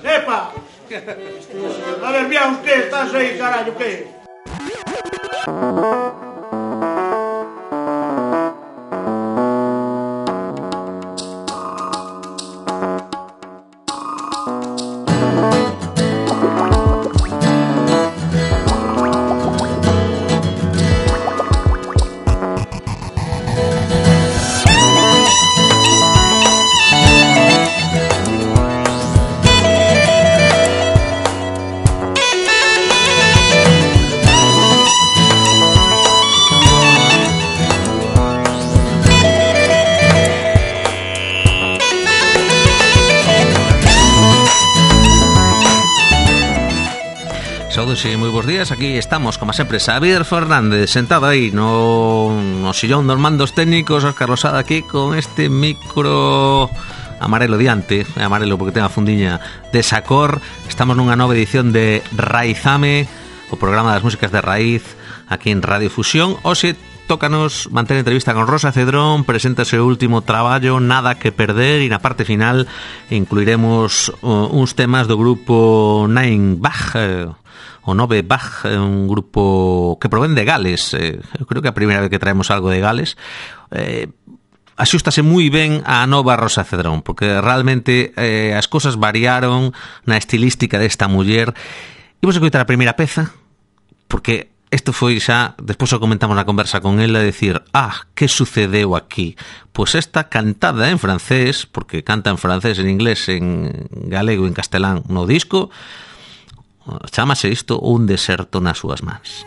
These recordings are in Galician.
Epa! A ver, Biaus, que estás aí, carallo, que? Sí, moi bons días, aquí estamos, como sempre, Xavier Fernández, sentado aí no sillón dos mandos técnicos, Óscar Losada aquí con este micro amarelo diante, amarelo porque ten a fundiña de Sacor. Estamos nunha nova edición de Raizame, o programa das músicas de raíz, aquí en Radio Fusión. Hoxe tócanos manter entrevista con Rosa Cedrón, presenta o seu último traballo, Nada que perder, e na parte final incluiremos uns temas do grupo Nine Bach, o Nove Bach, un grupo que provén de Gales. Eu creo que é a primeira vez que traemos algo de Gales. Axústase moi ben a nova Rosa Cedrón, porque realmente as cosas variaron na estilística desta muller. Imos escoitar a primeira peza, porque isto foi xa, despois o comentamos na conversa con ela, decir, que sucedeu aquí? Pois esta cantada en francés, porque canta en francés, en inglés, en galego e en castelán no disco, chámase isto Un deserto nas súas mans.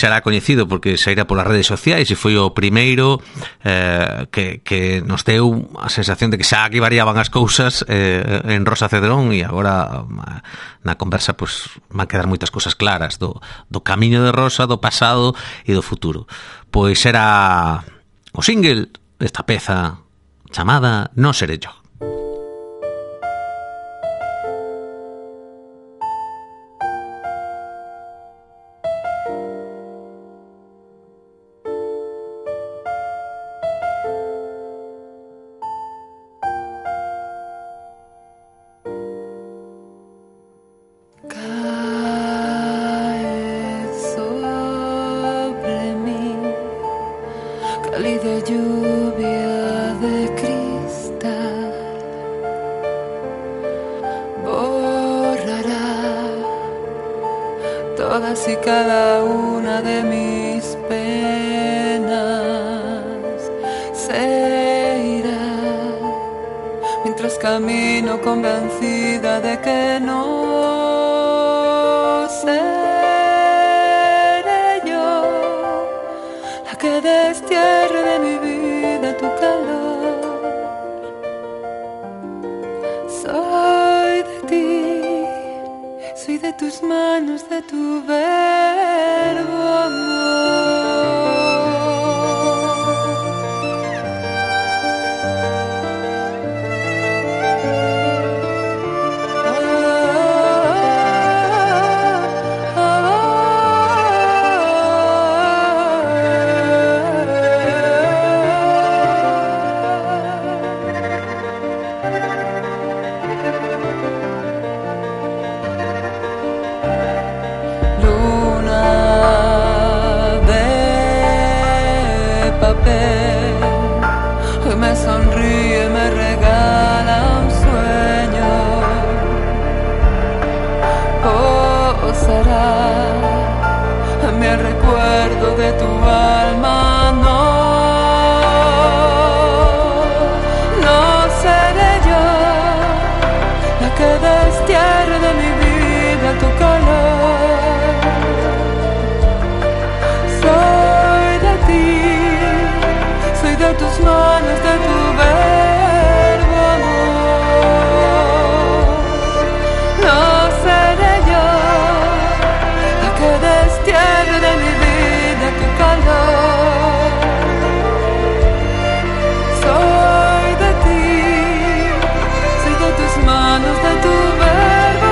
será coñecido porque saíra polas redes sociais e foi o primeiro que nos deu a sensación de que xa aquí variaban as cousas en Rosa Cedrón, e agora na conversa pues, van quedar moitas cousas claras do camiño de Rosa, do pasado e do futuro. Pois era o single desta peza chamada No seré yo. Todas y cada una de mis penas se irá mientras camino convencida de que no seré yo la que destierre de mi vida tu calor. Soy de ti, soy de tus manos, de tu verbo amor. Hoy me sonríe, me regala un sueño. Posará en mí el recuerdo de tu alma. No seré yo la que destierre de mi vida tu calor. Soy de ti, de tus manos, de tu verbo amor. No seré yo la que destierre de mi vida tu calor. Soy de ti, soy de tus manos, de tu verbo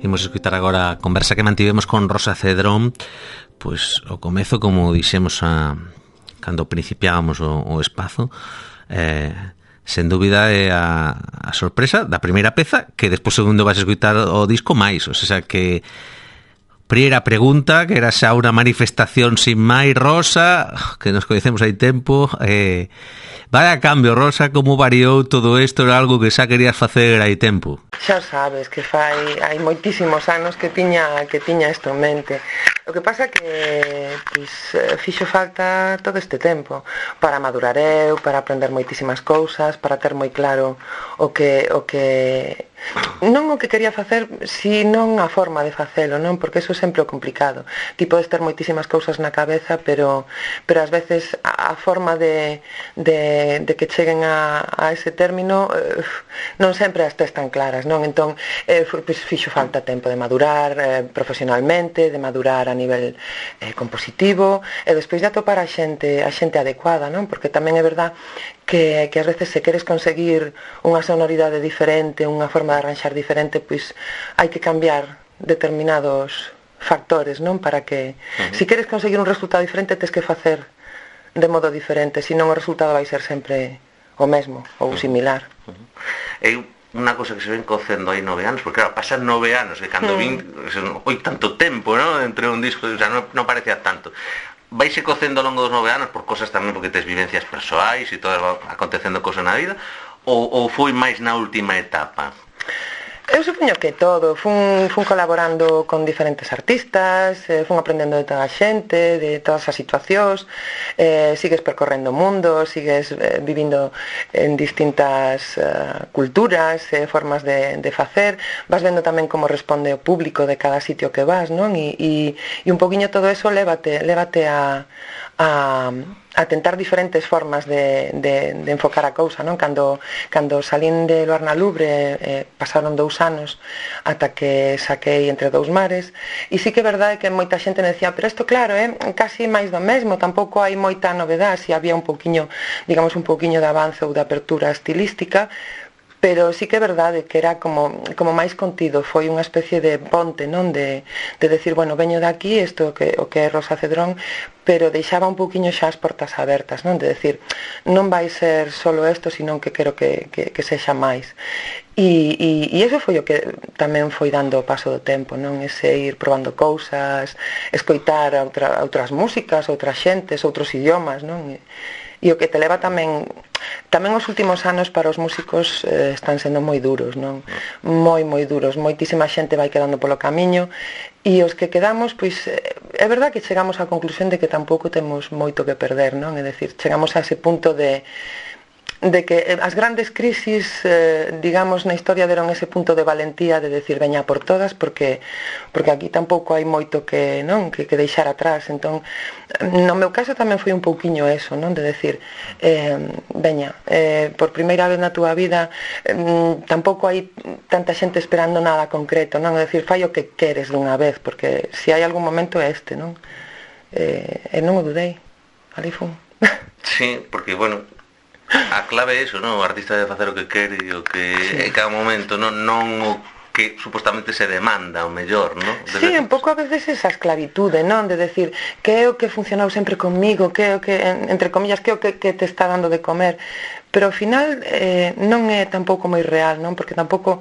Imos escutar agora a conversa que mantivemos con Rosa Cedrón. Pois o comezo, como dixemos cando principiábamos o espazo, sen dúbida é a sorpresa da primeira peza, que despois segundo vas escutar o disco máis, o sea que primeira pregunta, que era xa unha manifestación sin máis, Rosa, que nos coñecemos hai tempo, vaya cambio, Rosa, como variou todo isto, era algo que xa querías facer hai tempo. Xa sabes que hai moitísimos anos que tiña isto en mente. O que pasa que fixo falta todo este tempo para madurar eu, para aprender moitísimas cousas, para ter moi claro o que non o que quería facer, sino a forma de facelo, non? Porque eso é sempre o complicado. Ti podes ter moitísimas cousas na cabeza, pero ás veces a forma de que cheguen a ese término non sempre as tes tan claras, non? Entón, fixo falta tempo de madurar profesionalmente, de madurar a nivel compositivo, e despois de atopar a xente adecuada, non? Porque tamén é verdad que ás veces se queres conseguir unha sonoridade diferente, unha forma de arranxar diferente, pois hai que cambiar determinados factores, non? Para que, se queres conseguir un resultado diferente, tens que facer de modo diferente, senón o resultado vai ser sempre o mesmo ou similar. É unha cosa que se ven cocendo aí 9 anos, porque claro, pasan 9 anos, que cando vin, oi tanto tempo, non? Entre un disco, o sea, non parecía tanto. Vaise cocendo ao longo dos 9 anos por cosas tamén porque tes vivencias persoais e todo acontecendo cosas na vida, ou foi máis na última etapa? Eu supoño que todo, fun colaborando con diferentes artistas, fun aprendendo de toda a xente, de todas as situacións, sigues percorrendo o mundo, sigues vivindo en distintas culturas, formas de facer, vas vendo tamén como responde o público de cada sitio que vas, non? E un poquinho todo eso lévate a tentar diferentes formas de enfocar a cousa, non? Cando salín de Luar na Lubre, pasaron 2 anos ata que saquei Entre dous mares, e sí que é verdade que moita xente me decía, pero isto claro, casi máis do mesmo, tampouco hai moita novedade, si había un poquinho, digamos, un poquinho de avance ou de apertura estilística, pero sí que é verdade que era como máis contido, foi unha especie de ponte, non? De decir, bueno, veño de aquí, isto o que é Rosa Cedrón, pero deixaba un poquinho xa as portas abertas, non? De decir, non vai ser solo isto, senón que quero que sexa máis. E iso foi o que tamén foi dando o paso do tempo, non? Ese ir probando cousas, escoitar outras músicas, outras xentes, outros idiomas, non? E o que te leva tamén os últimos anos para os músicos están sendo moi duros, non? Moi duros, moitísima xente vai quedando polo camiño, e os que quedamos, pois é verdad que chegamos á conclusión de que tampouco temos moito que perder, non? É dicir, chegamos a ese punto de que as grandes crisis, digamos, na historia deron ese punto de valentía de decir veña por todas, porque aquí tampouco hai moito que deixar atrás. Entón, no meu caso tamén foi un pouquiño eso, non? De decir, veña, por primeira vez na túa vida tampouco hai tanta xente esperando nada concreto, non? É dicir, fai o que queres dunha vez, porque se hai algún momento é este, non? E non o dudei, ali fun. Sí, porque, bueno, a clave é iso, non? O artista debe facer o que quere e o que en cada momento, non o que supostamente se demanda o mellor, non? Sí, un pouco a veces esa esclavitude, non? De decir, que é o que funcionou sempre comigo, que é o que, entre comillas, que é o que te está dando de comer, pero ao final non é tampouco moi real, non? Porque tampouco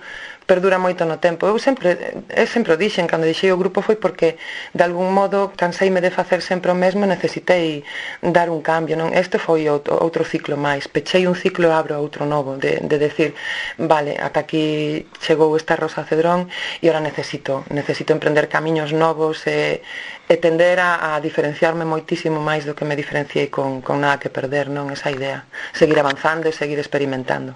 perdura moito no tempo. Eu sempre o dixen, cando deixei o grupo foi porque de algún modo canseime de facer sempre o mesmo e necesitei dar un cambio, non? Este foi outro ciclo máis, pechei un ciclo e abro outro novo, de decir, vale, ata aquí chegou esta Rosa Cedrón e ora necesito emprender camiños novos e tender a diferenciarme moitísimo máis do que me diferenciei con Nada que perder, non? Esa idea, seguir avanzando e seguir experimentando.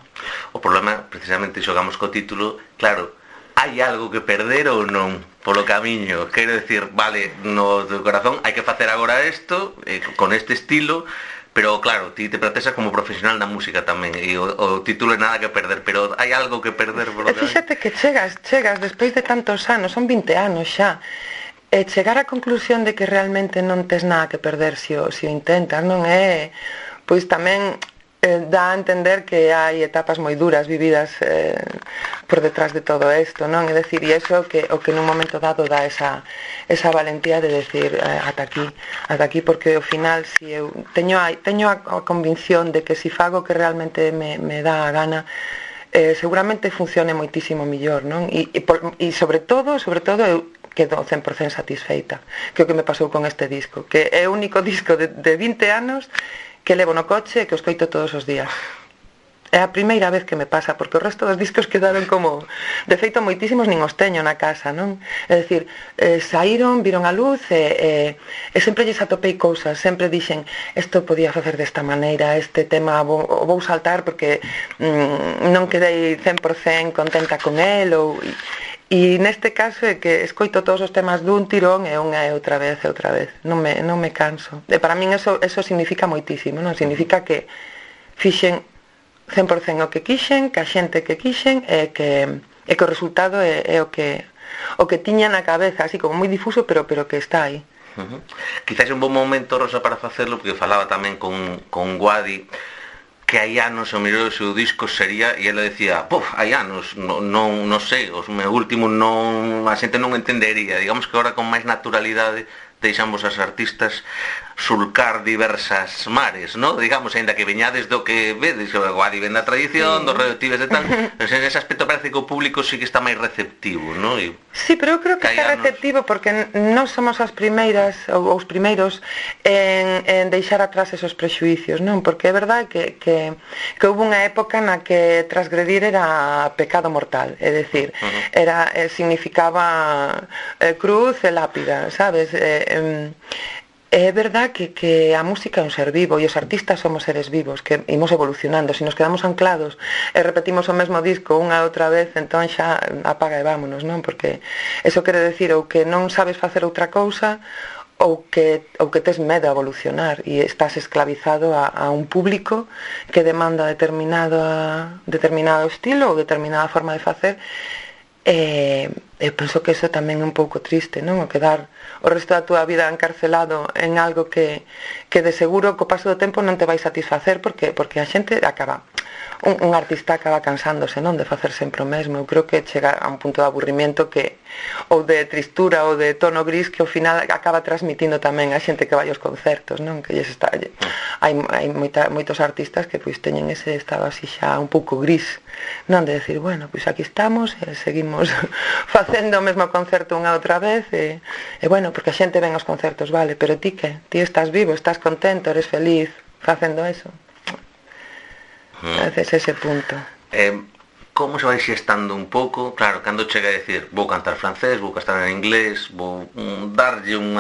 O problema, precisamente, xogamos co título, claro, hai algo que perder ou non polo camiño? Quero decir, vale, no teu corazón hai que facer agora isto, con este estilo, pero claro, ti te protestas como profesional da música tamén, e o título é Nada que perder, pero hai algo que perder polo camiño? Fíxate que chegas despois de tantos anos, son 20 anos xa, e chegar á conclusión de que realmente non tes nada que perder se o intentas, non é? Pois tamén dá a entender que hai etapas moi duras vividas por detrás de todo isto, non? É dicir, e iso o que nun momento dado dá esa valentía de decir ata aquí, porque ao final si eu teño a convicción de que si fago que realmente me dá a gana, seguramente funcione moitísimo millor, non? E sobre todo eu quedo 100% satisfeita, que é o que me pasou con este disco, que é o único disco de 20 anos que levo no coche e que o escoito todos os días. É a primeira vez que me pasa, porque o resto dos discos quedaron como... De feito, moitísimos nin os teño na casa, non? É dicir, saíron, viron a luz e sempre lles atopei cousas, sempre dixen, isto podía facer desta maneira, este tema vou saltar porque non quedei 100% contenta con el, e neste caso é que escoito todos os temas dun tirón e unha e outra vez, non me canso. E para min eso significa moitísimo, non? Significa que fixen 100% o que quixen, que a xente que quixen e que o resultado é o que o que tiña na cabeza, así como moi difuso, pero que está aí. Quizás un bon momento, Rosa, para facelo, porque falaba tamén con Guadi, que hai anos o mellor o seu disco sería, e ela decía, hai anos, non sei, os meus últimos non, a xente non entendería, digamos que agora con máis naturalidade deixamos as artistas sulcar diversas mares, ¿no? Digamos, ainda que veñades do que vedes, o Guadi ven da tradición, dos radioactives e tal, pero en ese aspecto parece que o público sí que está máis receptivo, ¿no? Sí, pero eu creo que está receptivo porque non somos as primeiras ou os primeiros en deixar atrás esos prexuicios, non? Porque é verdade que houve unha época na que transgredir era pecado mortal, é dicir, significaba cruz e lápida, sabes? É verdad que a música é un ser vivo e os artistas somos seres vivos que imos evolucionando. Se nos quedamos anclados e repetimos o mesmo disco unha e outra vez, entón xa apaga e vámonos, non? Porque eso quere decir ou que non sabes facer outra cousa ou que tes medo a evolucionar e estás esclavizado a un público que demanda determinado estilo ou determinada forma de facer. Eu penso que eso tamén é un pouco triste, non? O quedar o resto da túa vida encarcelado en algo que de seguro co paso do tempo non te vai satisfacer porque a xente acaba, un artista acaba cansándose, non? De facer sempre o mesmo. Eu creo que chega a un punto de aburrimiento ou de tristura ou de tono gris que ao final acaba transmitindo tamén a xente que vai aos concertos, non? Que hai moitos artistas que pois teñen ese estado así xa un pouco gris, non? De decir, bueno, pois aquí estamos e seguimos facendo o mesmo concerto unha outra vez e bueno, porque a xente ven aos concertos, vale, pero ti que? Ti estás vivo, estás contento, eres feliz facendo eso? Entonces ese punto. Como se vai xestando un pouco? Claro, cando chega a decir vou cantar francés, vou cantar en inglés, vou darlle un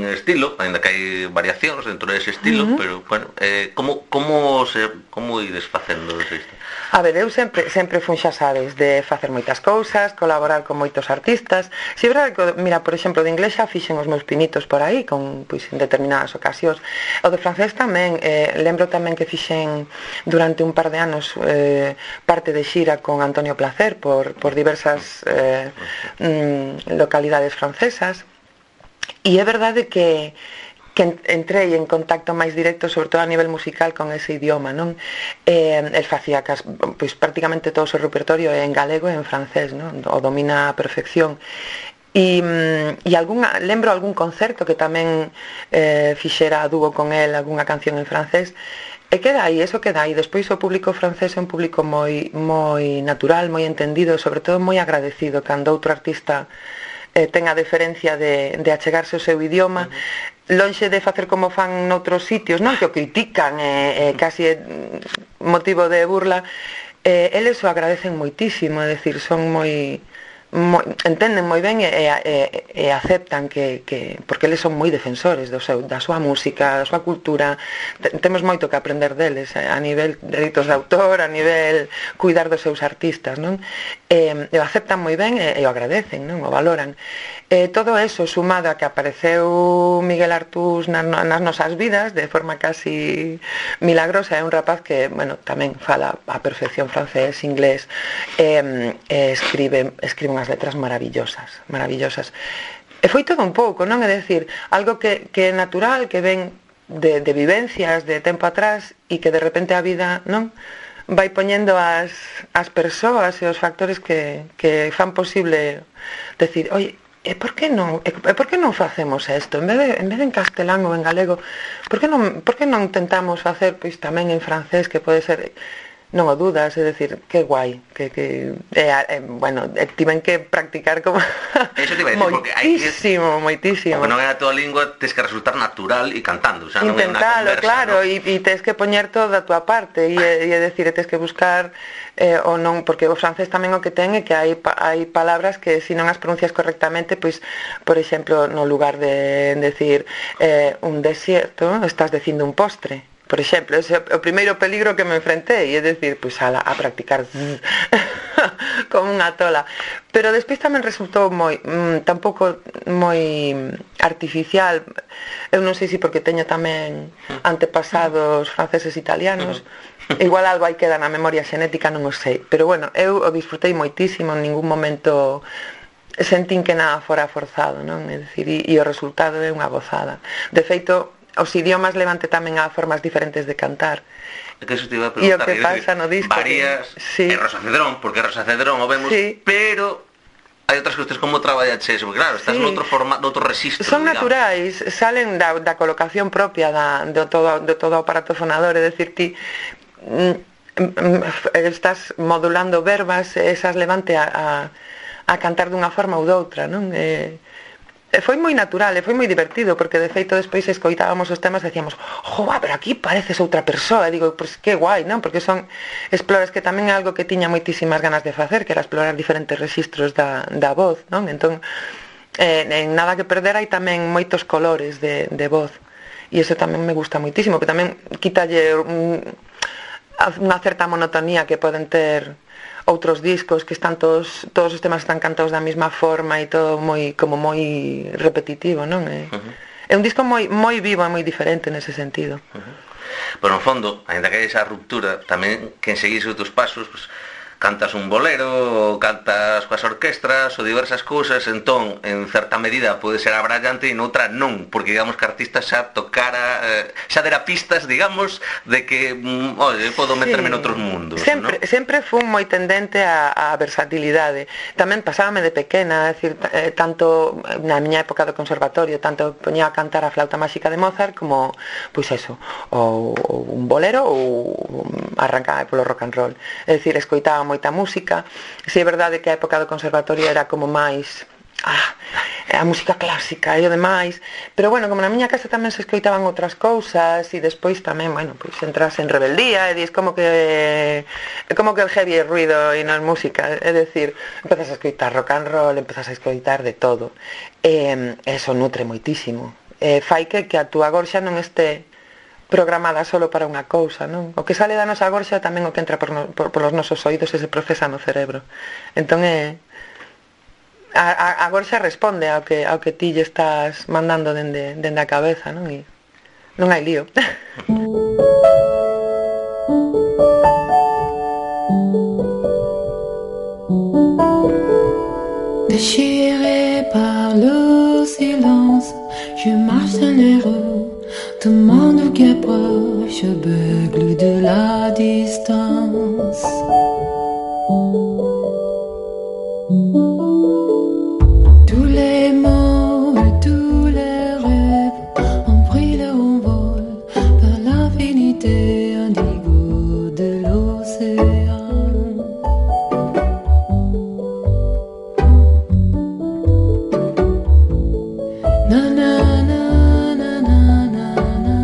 estilo, ainda que hai variacións dentro dese estilo, pero, bueno, como ides facendo isto? A ver, eu sempre fun, xa sabes, de facer moitas cousas, colaborar con moitos artistas. Si é verdade que, mira, por exemplo, de inglés xa fixen os meus pinitos por aí, pois, en determinadas ocasións. O de francés tamén, lembro tamén que fixen durante un par de anos parte de xira con Antonio Placer por diversas localidades francesas. E é verdade que entrei en contacto máis directo, sobre todo a nivel musical, con ese idioma, non? El facía pois prácticamente todo o seu repertorio en galego e en francés, non? O domina a perfección. E lembro algún concerto que tamén fixera a dúo con el, algunha canción en francés, e queda aí, eso queda aí. Despois o público francés é un público moi natural, moi entendido, sobre todo moi agradecido cando outro artista ten a deferencia de achegarse ao seu idioma, lonxe de facer como fan noutros sitios, non? Que o critican, casi motivo de burla, eles o agradecen moitísimo, é dicir, son entenden moi ben e aceptan que porque eles son moi defensores da súa música, da súa cultura. Temos moito que aprender deles a nivel de dereitos de autor, a nivel cuidar dos seus artistas, non? E o aceptan moi ben e o agradecen, non? O valoran. Todo eso sumado a que apareceu Miguel Artús nas nosas vidas de forma casi milagrosa. É un rapaz que, bueno, tamén fala a perfección francés, inglés, escribe unhas letras maravillosas. E foi todo un pouco, non? É dicir, algo que é natural, que ven de vivencias de tempo atrás e que de repente a vida, non? Vai poñendo as persoas e os factores que fan posible decir, oi, e por que non facemos isto? En vez de en castelán ou en galego, por que non tentamos facer pois tamén en francés, que pode ser, non o dudas, é dicir, que guai, bueno, tiven que practicar como moitísimo. Porque non é a tua lingua, tens que resultar natural e cantando, o sea, non é unha conversa, claro, e tens que poñer toda a tua parte, e é dicir, tens que buscar ou non, porque o francés tamén o que ten é que hai palabras que se non as pronuncias correctamente, pois, por exemplo, no lugar de decir un desierto, estás dicindo un postre. Por exemplo, ese é o primeiro peligro que me enfrentei, é dicir, pois a practicar como unha tola. Pero despois tamén resultou tampouco moi artificial. Eu non sei se porque teño tamén antepasados franceses e italianos, igual algo aí queda na memoria xenética, non o sei. Pero bueno, eu o disfrutei moitísimo, en ningún momento sentín que nada fora forzado, non? É dicir, e o resultado é unha gozada. De feito, os idiomas levante tamén a formas diferentes de cantar. É que eso te iba a preguntar. E o que pasa no disco varías, sí. É Rosa Cedrón, porque Rosa Cedrón o vemos, sí. Pero hai outras cuestións como traballaches, porque claro, estás sí. noutro registro. Son digamos. naturais, salen da colocación propia de todo o aparato fonador, é dicir, ti estás modulando verbas, esas levante a cantar dunha forma ou doutra, non? Foi moi natural e foi moi divertido, porque de feito despois escoitábamos os temas e decíamos, joa, pero aquí pareces outra persoa, e digo, pois que guai, non? Porque son exploras que tamén é algo que tiña moitísimas ganas de facer, que era explorar diferentes registros da voz, non? Entón, en Nada que perder hai tamén moitos colores de voz, e iso tamén me gusta moitísimo, que tamén quítalle unha certa monotonía que poden ter outros discos que están todos os temas están cantados da mesma forma e todo moi repetitivo, non? É un disco moi vivo e moi diferente nese sentido. Pero no fondo, ainda que hai esa ruptura, tamén quen seguise os teus pasos, pues, cantas un bolero, ou cantas coas orquestras ou diversas cousas, entón, en certa medida pode ser abrallante e noutra non, porque digamos que a artista xa tocara, xa dera pistas, digamos, de que, oye, podo meterme noutros mundos, sempre fun moi tendente a versatilidade. Tamén pasábame de pequena, é dicir, tanto na miña época do conservatorio, tanto poñía a cantar a Flauta máxica de Mozart como, pois eso, ou un bolero ou arrancaba polo rock and roll. É dicir, escoitaba moita música. Si é verdade que a época do conservatorio era como máis a música clásica e o demais, pero bueno, como na miña casa tamén se escoitaban outras cousas e despois tamén, bueno, pois entras en rebeldía e dis como que el heavy é ruido e non é música, é dicir, empezas a escoitar rock and roll, empezas a escoitar de todo, eso nutre moitísimo, fai que a túa gorxa non este programada solo para unha cousa, non? O que sale da nosa gorxa tamén o que entra polos nosos oídos e se procesa no cerebro. Entón a gorxa responde ao que ti lle estás mandando dende a cabeza, non? E non hai lío. Déchiré par le silence, je marche dans les rues. Tout le monde qui approche beugle de la distance. Tous les mots et tous les rêves ont pris leur envol vers l'infinité indigo de l'océan. Na na na na na na na.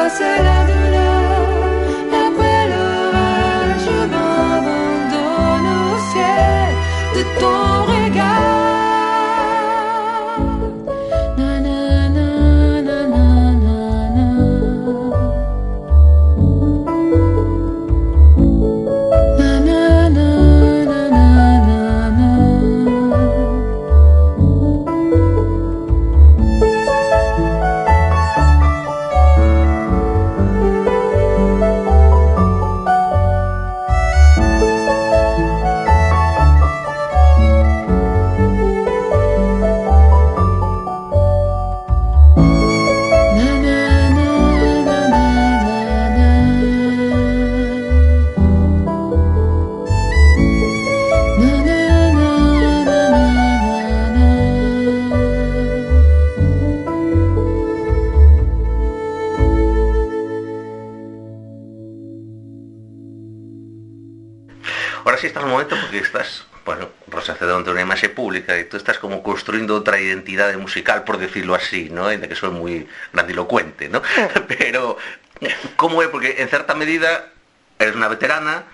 c'est la douleur. Après l'orage, je m'abandonne au ciel de ton regard. Na na na na na na na. Na na na na na na na. Ahora sí estás un momento porque estás, bueno, Rosa Cedrón tiene una imaxe pública y tú estás como construyendo otra identidad musical, por decirlo así, ¿no? En la que soy muy grandilocuente, ¿no? Pero, ¿cómo es? Porque en cierta medida eres una veterana,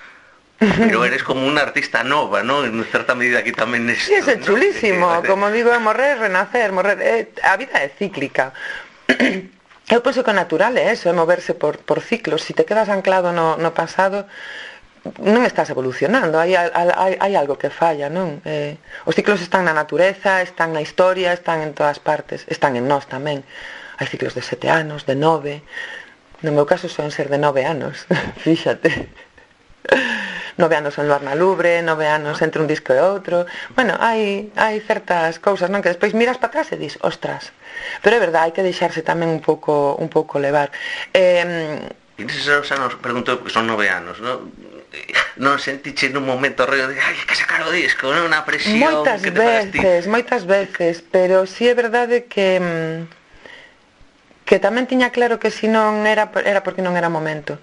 pero eres como una artista nova, ¿no? En cierta medida aquí tamén es... Sí, é chulísimo, ¿no? Como digo, morrer, renacer, a vida é cíclica. Eu penso que o natural é eso, é moverse por ciclos. Se te quedas anclado no pasado, non estás evolucionando, hai algo que falla, non? Os ciclos están na natureza, están na historia, están en todas partes, están en nós tamén. Hai ciclos de 7 anos, de 9, no meu caso son ser de 9 anos, fíxate. 9 anos en Luar na Lubre, 9 anos entre un disco e outro. Bueno, hai certas cousas, non? Que despois miras para atrás e dis, ostras. Pero é verdade, hai que deixarse tamén un pouco levar. E neses anos, pregunto, porque son 9 anos, non? Non sentiche nun momento rollo de ai, que sacar o disco, non? Unha presión moitas veces, pero si é verdade que tamén tiña claro que se non era porque non era momento.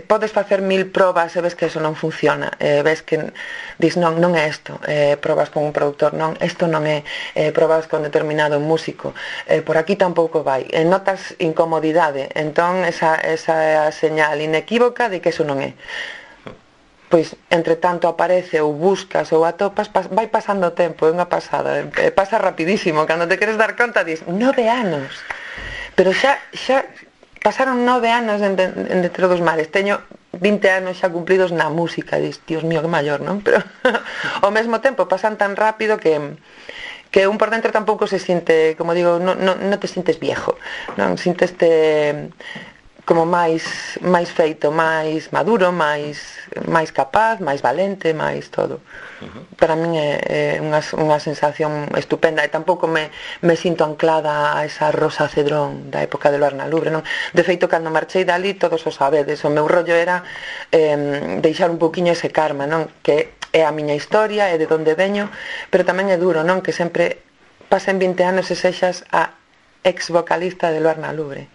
Podes facer 1000 probas e ves que eso non funciona, ves que dis non é isto, probas con un productor, non, isto non é, probas con determinado músico, por aquí tampouco vai, notas incomodidade, entón esa é a señal inequívoca de que eso non é. Pois, entre tanto aparece ou buscas ou atopas, vai pasando o tempo, é unha pasada, pasa rapidísimo, cando te queres dar conta dis, 9 anos, pero xa pasaron 9 anos en Dentro dos Mares, teño 20 anos xa cumplidos na música, dis, Dios mío, que maior, non? Pero ao mesmo tempo pasan tan rápido que un por dentro tampouco se siente, como digo, non te sientes viejo, non? Sinteste como máis feito, máis maduro, máis capaz, máis valente, máis todo. Para min é unha sensación estupenda e tampouco me sinto anclada a esa Rosa Cedrón da época de Luar na Lubre, non? De feito, cando marchei dali, todos o sabedes, o meu rollo era deixar un pouquiño ese karma, non? Que é a miña historia, é de onde veño, pero tamén é duro, non? Que sempre pasen 20 anos e sexas a ex vocalista de Luar na Lubre.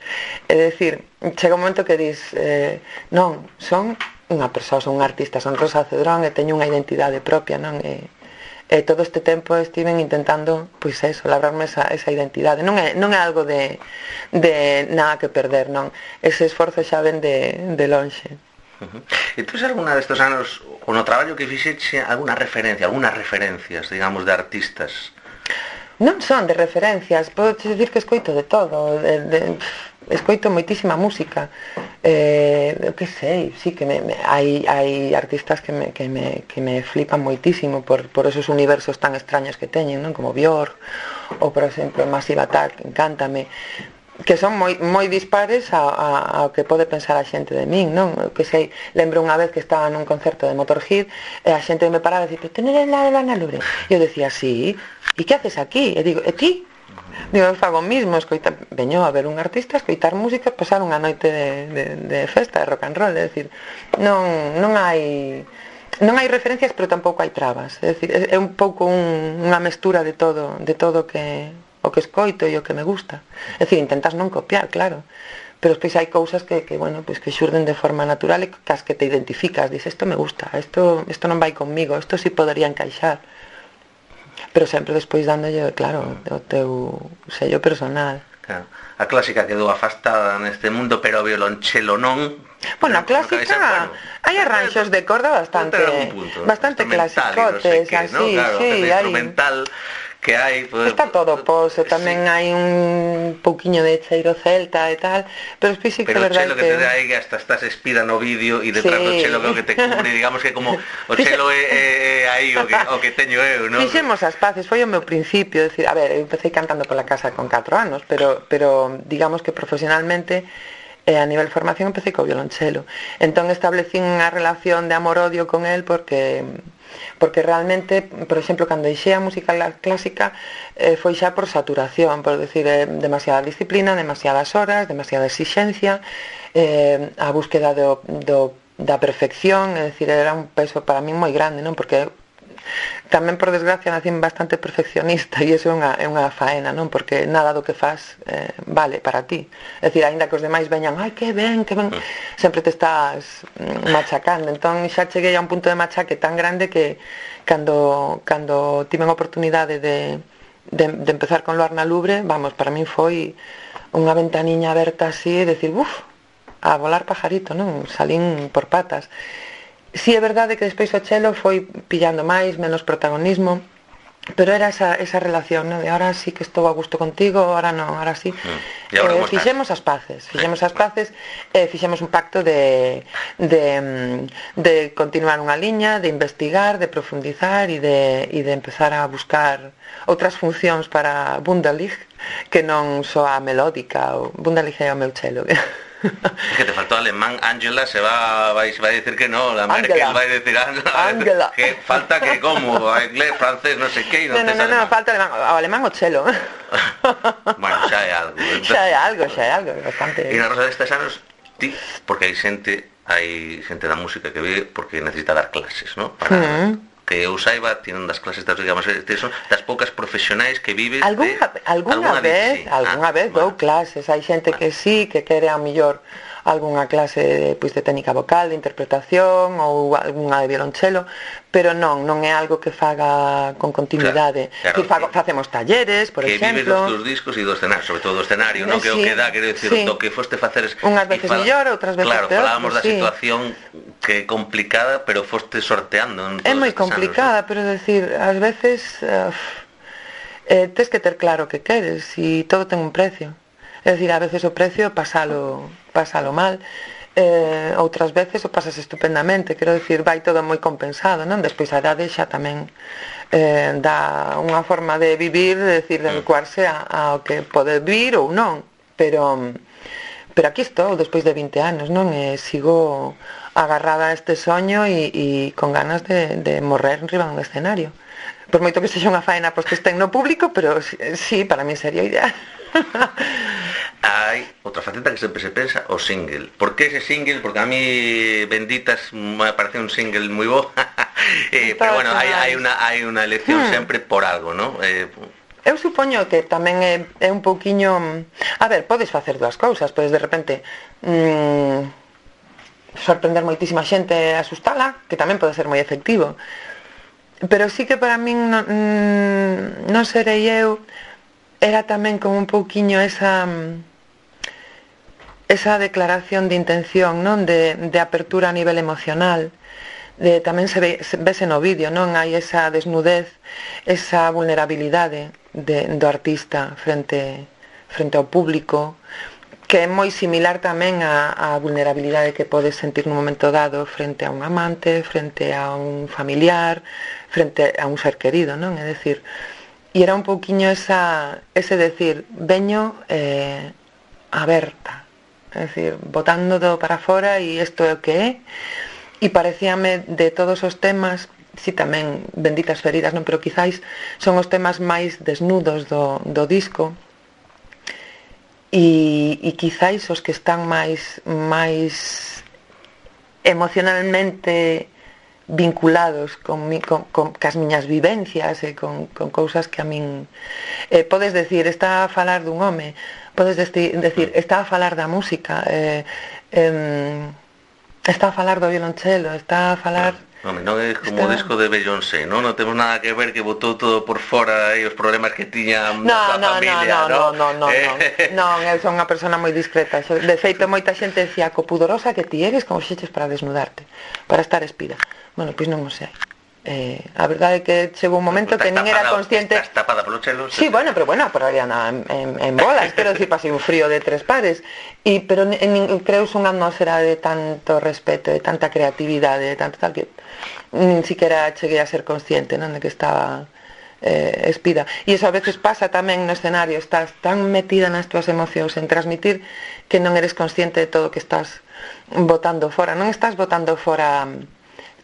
É dicir, chega un momento que dis, non, son unha persoa, son un artista, son Rosa Cedrón e teño unha identidade propia, non? E todo este tempo estiven intentando, pois eso, labrarme esa identidade. Non é algo de nada que perder, non? Ese esforzo xa ven de lonxe. E tú alguna destes anos, o no traballo que fixeche, algunhas referencias, digamos, de artistas? Non son de referencias, podo dicir que escoito de todo, escoito moitísima música, que sei, sí que hai artistas que me flipan moitísimo por esos universos tan extraños que teñen, non? Como Björk, ou por exemplo Massive Attack, encántame, que son moi dispares ao que pode pensar a xente de min, non? Que sei, lembro unha vez que estaba nun concerto de Motorhead e a xente me paraba e dicía, "Tú non eres nada de Luar na Lubre?" E eu decía, "Sí, e que haces aquí?" E digo, "E ti?" Digo, eu fago mismo, veño a ver un artista, escoitar música, pasar unha noite de festa, de rock and roll, é dicir, non hai referencias, pero tampouco hai trabas, é dicir, é un pouco unha mestura de todo o que escoito e o que me gusta. É dicir, intentas non copiar, claro, pero despois hai cousas que xurden de forma natural e cas que te identificas, dices, isto me gusta, isto non vai conmigo, isto sí podería encaixar, pero sempre despois dándolle, claro, o teu sello personal. Claro. A clásica quedou afastada neste mundo, pero o violonchelo non. Bueno, a clásica, hai arranxos de corda bastante clasicotes, así, ¿no? Claro, sí, hai instrumental que hai, pues, está todo pose, tamén sí. Hai un pouquiño de cheiro celta e tal, pero sí que é verdade que... Pero o chelo que te dá aí hasta estás espida no vídeo e detrás do chelo que te cubre, digamos que como o chelo é aí o que teño eu, non? Fixemos as paces, foi o meu principio, decir, a ver, eu empecé cantando pola casa con 4 anos, pero digamos que profesionalmente a nivel de formación empecé co violonchelo. Entón establecín unha relación de amor-odio con el porque realmente, por exemplo, cando deixei a música clásica foi xa por saturación, por decir, demasiada disciplina, demasiadas horas, demasiada exixencia, a búsqueda da perfección, é dicir, era un peso para mí moi grande, non? Porque tamén, por desgracia, nacín bastante perfeccionista e iso é unha faena, non? Porque nada do que faz vale para ti. É dicir, aínda que os demais veñan, ai, que ben, sempre te estás machacando. Entón, xa cheguei a un punto de machaque tan grande que cando tiven a oportunidade de empezar con Luarna Lubre, vamos, para min foi unha ventaniña aberta así e decir, a volar pajarito, non? Salín por patas. Si é verdade que despois o chelo foi pillando máis, menos protagonismo, pero era esa relación, ¿no? De ahora sí que estou a gusto contigo, ahora non, ahora sí. Fixemos as paces, fixemos un pacto de continuar unha liña, de investigar, de profundizar e de empezar a buscar outras funcións para Wunderlich que non soa melódica, ou Wunderlich é o meu chelo. Que te faltó alemán, Ángela va a decir que no, la Merkel va a decir Ángela, que falta que como, inglés, francés, no sé qué, no, falta alemán o chelo. Bueno, xa é algo. Xa é algo, bastante. E na Rosa destes anos, ti, porque hai xente da música que ve porque necesita dar clases, ¿no? Para que eu saiba, tienen das clases, digamos, son das poucas profesionais que vives alguna vez dou clases, hai xente que sí, que quere a mellor algunha clase pois de técnica vocal, de interpretación ou algunha de violonchelo, pero non é algo que faga con continuidade. Claro, facemos talleres, por exemplo. Que vives dos teus discos e do escenario, sobre todo do escenario, non? Que o que dá, quero dicir, do que foste facer... Unhas veces mellor, outras veces peor. Claro, falábamos da situación que é complicada, pero foste sorteando. É moi complicada, pero decir, ás veces tes que ter claro o que queres e todo ten un precio. É dicir, a veces o precio pásalo mal, outras veces o pasas estupendamente, quero dicir, vai todo moi compensado, non? Despois a idade xa tamén dá unha forma de vivir, de decir, de adecuarse ao que pode vir ou non, pero aquí estou despois de 20 anos, non? E sigo agarrada a este soño e con ganas de morrer enriba dun escenario. Por moito que sexa unha faena pois que estén no público, pero sí, para mí sería ideal. Hai outra faceta que sempre se pensa, o single. Por que ese single? Porque a mí Benditas me parece un single moi bo. Pero bueno, hai unha elección sempre por algo, ¿no? Eu supoño que tamén é un pouquiño... A ver, podes facer dúas cousas, podes de repente sorprender moitísima xente e asustala, que tamén pode ser moi efectivo. Pero sí que para min non serei eu, era tamén como un pouquiño esa declaración de intención, non? De apertura a nivel emocional. Tamén vese no vídeo, non? Hai esa desnudez, esa vulnerabilidade do artista frente ao público, que é moi similar tamén á vulnerabilidade que podes sentir nun momento dado frente a un amante, frente a un familiar, frente a un ser querido, non? É dicir, e era un pouquiño ese decir, veño aberta, é dicir, botando para fora e isto é o que é, e parecíame de todos os temas, si tamén Benditas feridas, non, pero quizáis son os temas máis desnudos do disco, e quizáis os que están máis emocionalmente vinculados cas miñas vivencias e con cousas que a min podes decir, está a falar dun home, podes decir, está a falar da música, está a falar do violonchelo, está a falar Home, non é como o disco de Beyoncé, non? Non temos nada que ver, que botou todo por fora e os problemas que tiña a familia, non? Non, eu son unha persona moi discreta. De feito, moita xente decía co pudorosa que ti eres, como xeches para desnudarte, para estar espida. Bueno, pois non o sei. A verdade é que chegou un momento que nin era consciente. Estás tapada polo chelo. Sí, bueno, pero Ariana en bolas, quero dicir, pasei un frío de 3 pares, pero creo unha atmosfera de tanto respeto, de tanta creatividade, de tanto tal que nin siquiera cheguei a ser consciente, non, de que estaba espida. E iso a veces pasa tamén no escenario, estás tan metida nas túas emocións en transmitir que non eres consciente de todo o que estás botando fora, non estás botando fora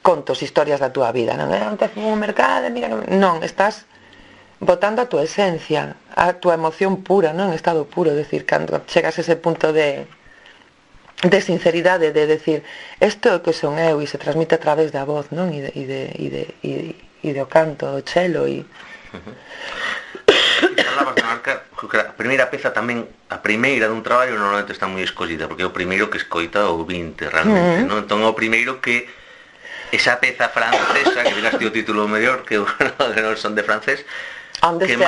contos, historias da túa vida, non é antes un mercado, mira, non, estás botando a túa esencia, a túa emoción pura, non, en estado puro, decir, cando chegas a ese punto de sinceridade, de decir, isto é o que son eu, e se transmite a través da voz, non, e do canto, do chelo, e falabas de marcar, a primeira peza tamén, a primeira dun traballo normalmente está moi escollida, porque é o primeiro que escoita o 20 realmente, non? Entón o primeiro que esa peza francesa, que viraste o título mellor, que non son de francés, que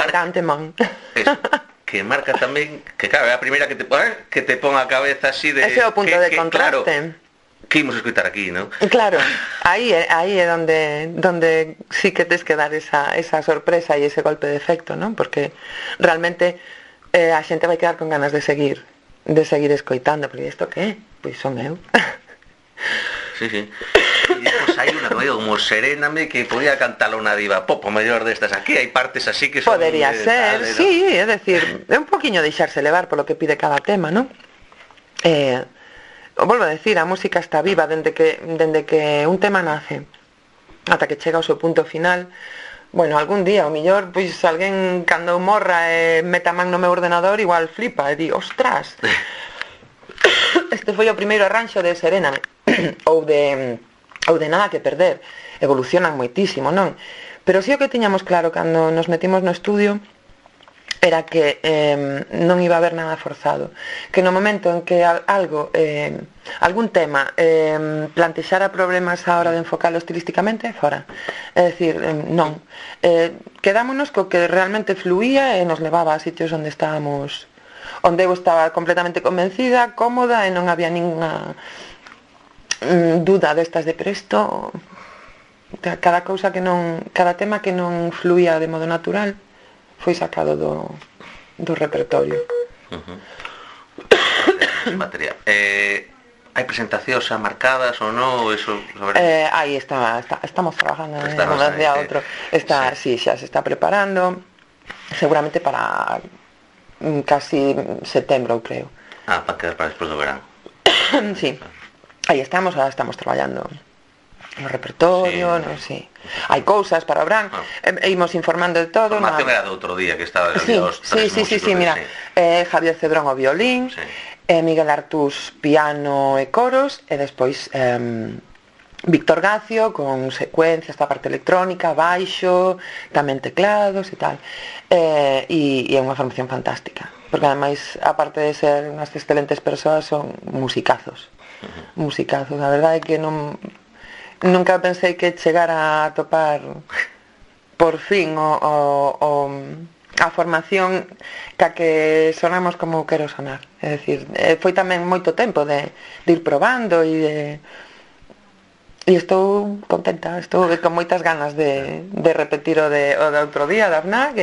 marca tamén, que claro, é a primeira que te pon a cabeza así de... Ese é o punto de contraste. Claro, que imos escoitar aquí, non? Claro, aí é donde sí que tes que dar esa sorpresa e ese golpe de efecto, non? Porque realmente a xente vai quedar con ganas de seguir escoitando, porque isto que é? Pois son eu. Sí. E despois hai unha comedia como Seréname, que podía cantalo unha diva pop o mellor destas aquí, hai partes así que son... Podería ser, sí, é decir, é un poquinho deixarse levar polo que pide cada tema, non? Volvo a decir, a música está viva dende que un tema nace ata que chega ao seu punto final. Bueno, algún día, o mellor, pois alguén cando morra e meta man no meu ordenador igual flipa e di, ostras, este foi o primeiro arranxo de Seréname ou de Nada que perder. Evolucionan moitísimo, non? Pero si o que tiñamos claro cando nos metimos no estudio era que non iba a haber nada forzado, que no momento en que algún tema plantexara problemas a hora de enfocalo estilísticamente, fora. É dicir, non. Quedámonos co que realmente fluía e nos levaba a sitios onde eu estaba completamente convencida, cómoda, e non había ninguna duda destas de presto. Cada tema que non fluía de modo natural foi sacado do repertorio. Material. Hai presentacións xa marcadas ou non? Aí estamos trabajando en un día a outro. Sí, xa se está preparando, seguramente para casi setembro, creo. Para quedar para despois do verán. Sí. Aí estamos traballando no repertorio, non sei. Hai cousas para o verán, imos informando de todo. A formación era do outro día que estaba Sí, mira, Javier Cedrón o violín, Miguel Artús piano e coros, e despois Víctor Gacio con secuencias, a parte electrónica, baixo, tamén teclados e tal. E é unha formación fantástica, porque ademais, aparte de ser unhas excelentes persoas, son musicazos. Musicazos, a verdade é que nunca pensei que chegara a topar por fin a formación ca que sonamos como quero sonar. É dicir, foi tamén moito tempo de ir probando e estou contenta, estou con moitas ganas de repetir o de outro día da FNAC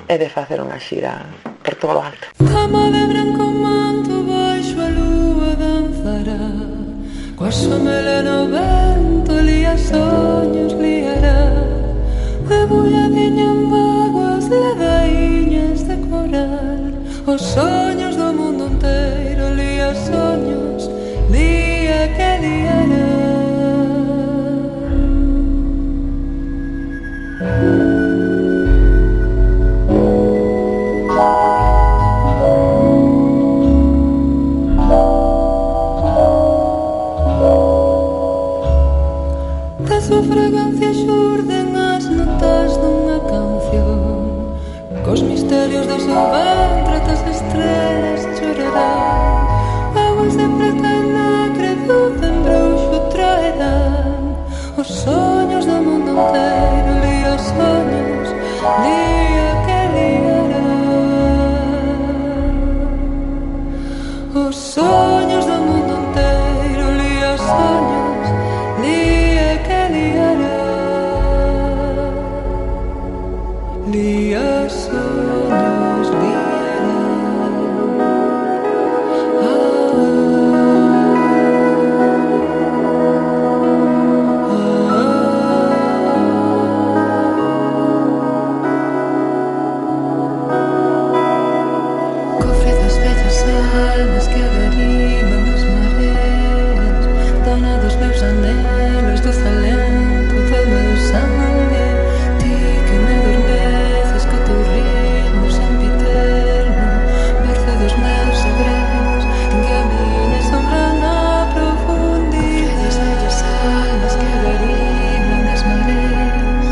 e de facer unha xira por todo o alto. Cama de branco manto baixo a lúa danzará, coa súa melena o vento lía soños liará, debulladinha en vaguas ladaíñas de coral, os soños do mundo inteiro lía soños, lía que liará. Da súa fragancia xurden as notas dunha canción, cos misterios do seu ventre as estrelas chorarán, aguas de preta e negre do bruxo traerán, os soños do mundo inteiro, lía os soños, lía que liara. Os soños do mundo inteiro, lía os soños, lía que liara. Lía os soños, liara. Almas que averiman as mareas, dona dos meus anelos, do talento do meu sangue. Ti que me adormeces co teu ritmo sempiterno, merce dos meus segredos, que a miña sombra na profundidade. Das almas que averiman as mareas,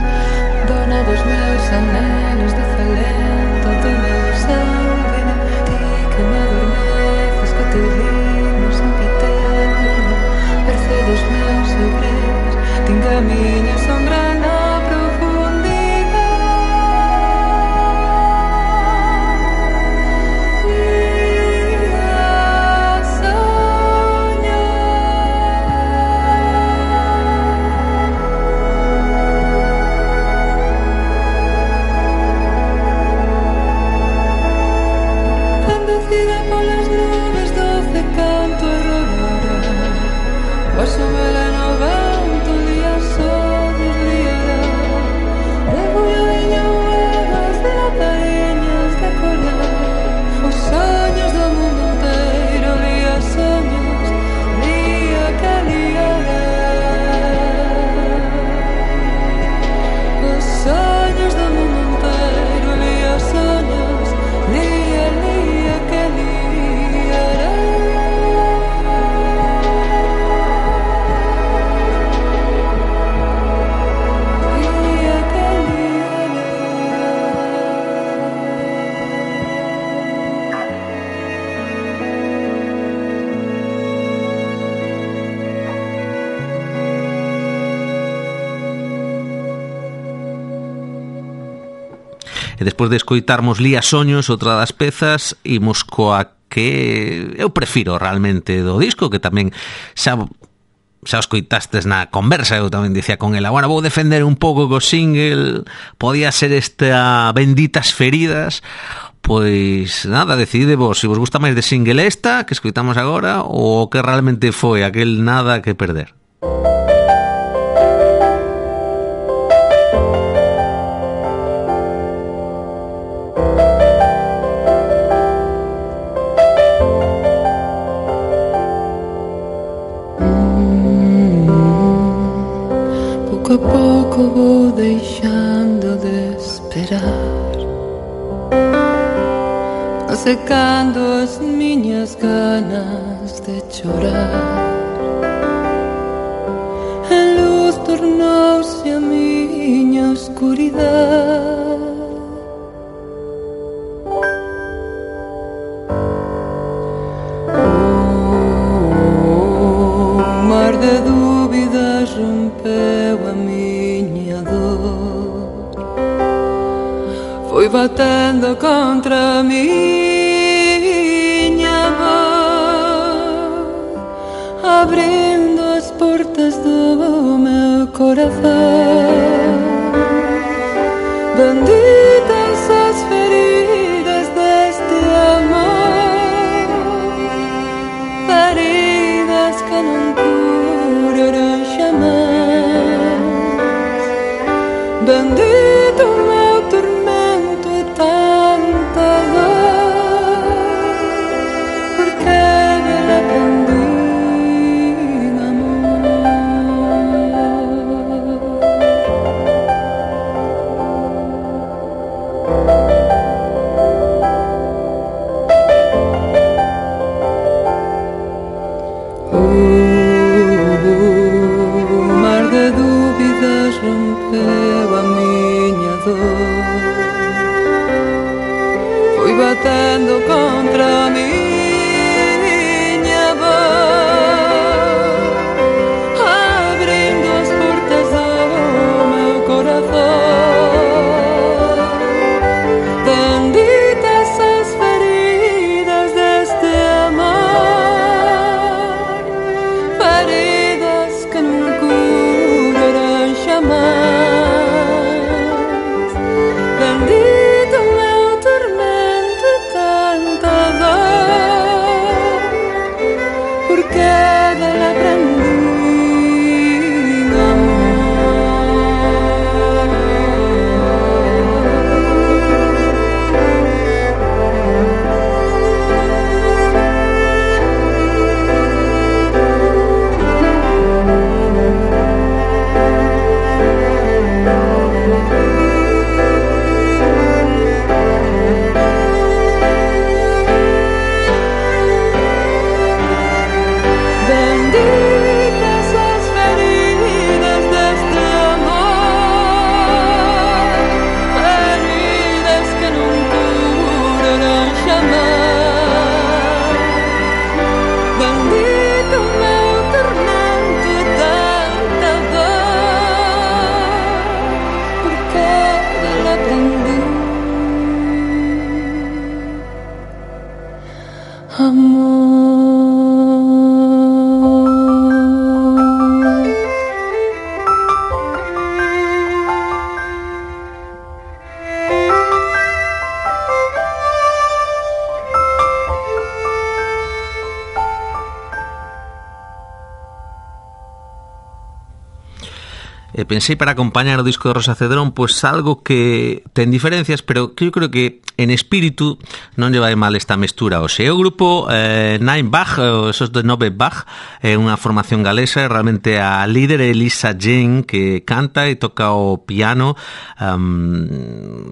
dona dos meus anelos, do talento do meu sangue. Ti que me adormeces co teu ritmo sempiterno, merce dos meus segredos, tinga a miña sombra na profundidade. Ia soñar. Bendecida polas nubes, doce canto aurora, vosso veleno vento, lía soños, liará. Debullo viño huevas de latariñas de colar, os soños do mundo inteiro, lía soños, lía que liará. Os soños do mundo inteiro, lía soños, lía, lía que liará. Lía que liará. E despois de escoitarmos Lía Soños, outra das pezas, imos coa que eu prefiro realmente do disco, que tamén xa escoitastes na conversa, eu tamén dicía con ela, bueno, vou defender un pouco co single, podía ser esta Benditas Feridas. Pois nada, decididevos se vos gusta máis de single esta que escoitamos agora ou que realmente foi aquel Nada que perder. Pouco a pouco vou deixando de esperar, secando as miñas ganas de chorar. A luz tornouse a miña oscuridade. O mar de dúbidas rompeu a miña dor, foi batendo contra a miña voz, abrindo as portas do meu corazón. Benditas as feridas deste amor, feridas que non curarán xamais. Bendito o meu tormento e tanta dor, porque dela aprendi amor. O mar de dúbidas rompeu a miña dor, foi batendo contra a miña voz, abrindo as portas Pensei para acompañar o disco de Rosa Cedrón pues algo que ten diferencias, pero que eu creo que en espírito non lle vai mal esta mestura. O seu grupo Nine Bach, esos de Nove Bach, é unha formación galesa, realmente a líder é Lisa Jane, que canta e toca o piano.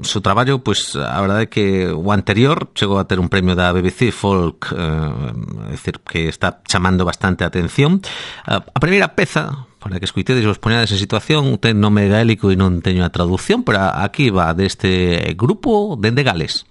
Su traballo, pues a verdade é que o anterior chegou a ter un premio da BBC Folk, é dicir, que está chamando bastante a atención. A primeira peza para que escuitedes e vos poñades en situación, ten nome gaélico e non teño a traducción, pero aquí va deste grupo dende Gales.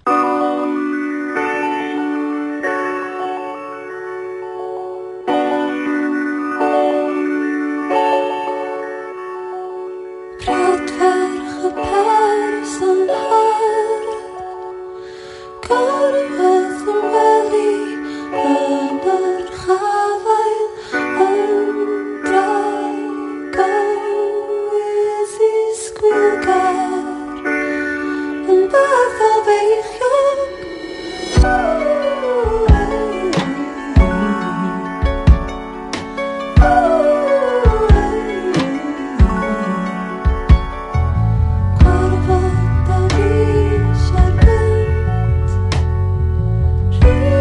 Ri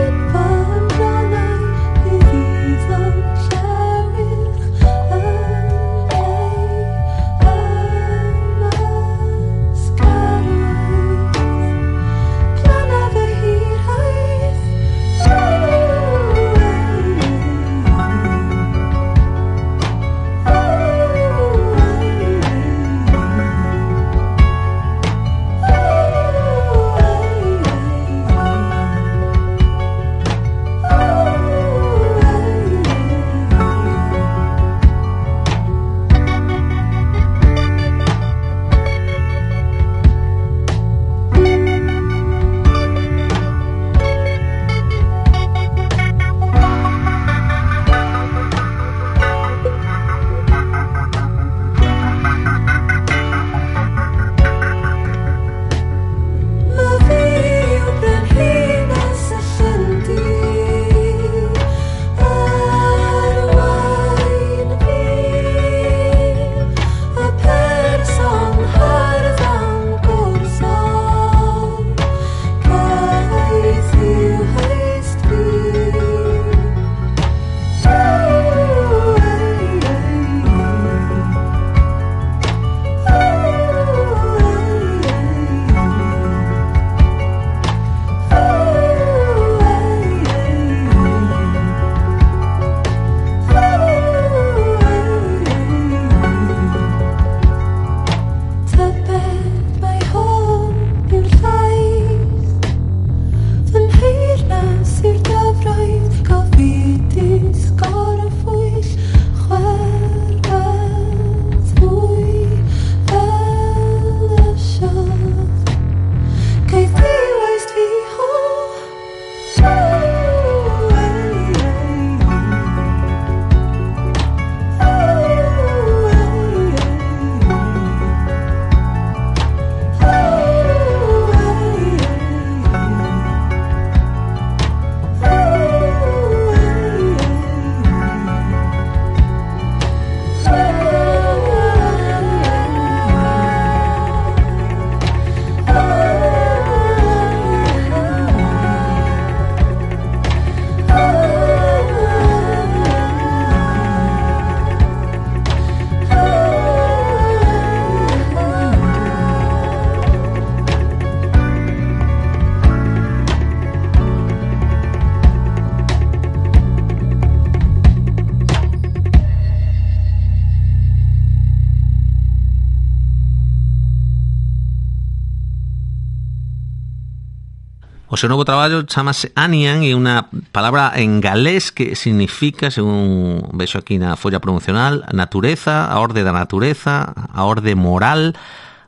O seu novo traballo chamase Anian e unha palabra en galés que significa, según vexo aquí na folla promocional, natureza, a orde da natureza, a orde moral,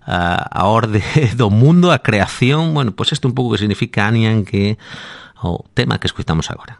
a orde do mundo, a creación. Bueno, pois isto un pouco que significa Anian, que é o tema que escuitamos agora.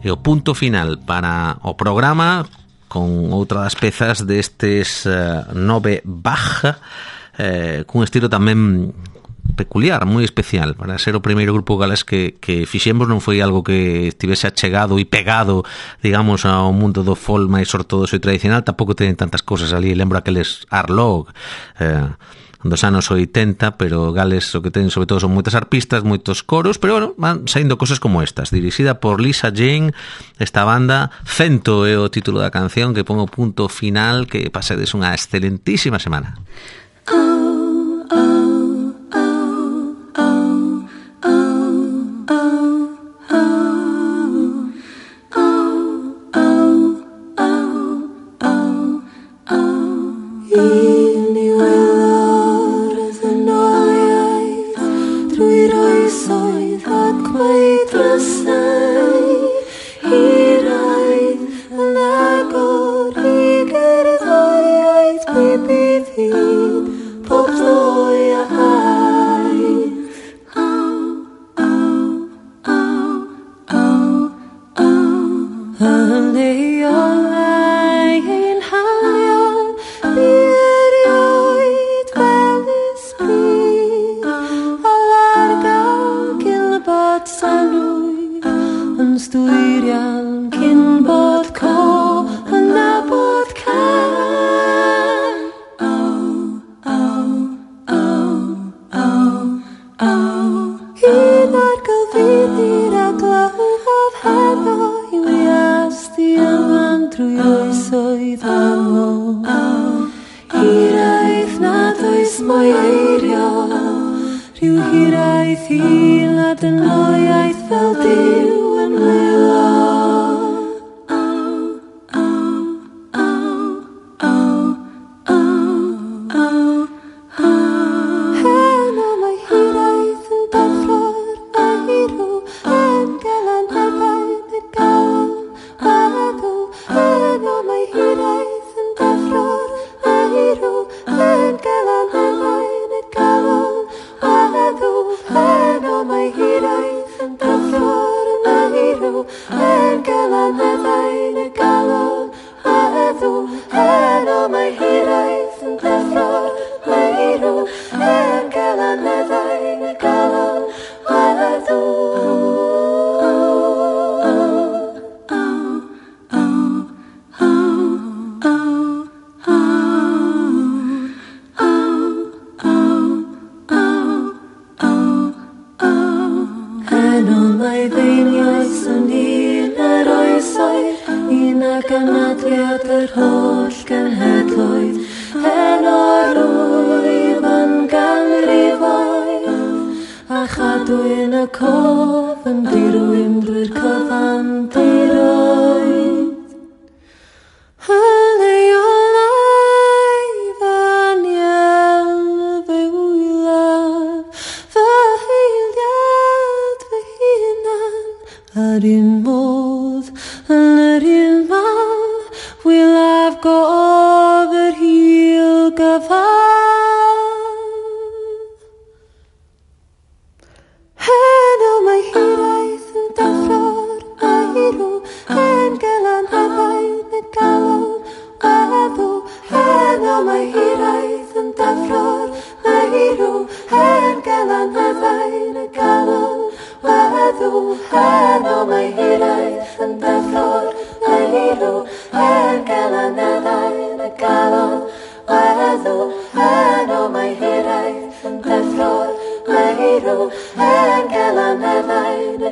E o punto final para o programa con outra das pezas destes 9 Bach, cun estilo tamén peculiar, moi especial. Para ser o primeiro grupo galés que fixemos, non foi algo que estivese achegado e pegado, digamos, ao mundo do folk máis ortodoxo e tradicional. Tampouco ten tantas cousas ali. Lembro aqueles Arlog, dos anos 80, pero Gales o que ten sobre todo son moitas arpistas, moitos coros, pero bueno, van saindo cosas como estas, dirixida por Lisa Jane, esta banda, Cento é o título da canción, que pon o punto final, que pasedes unha excelentísima semana.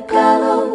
Galon,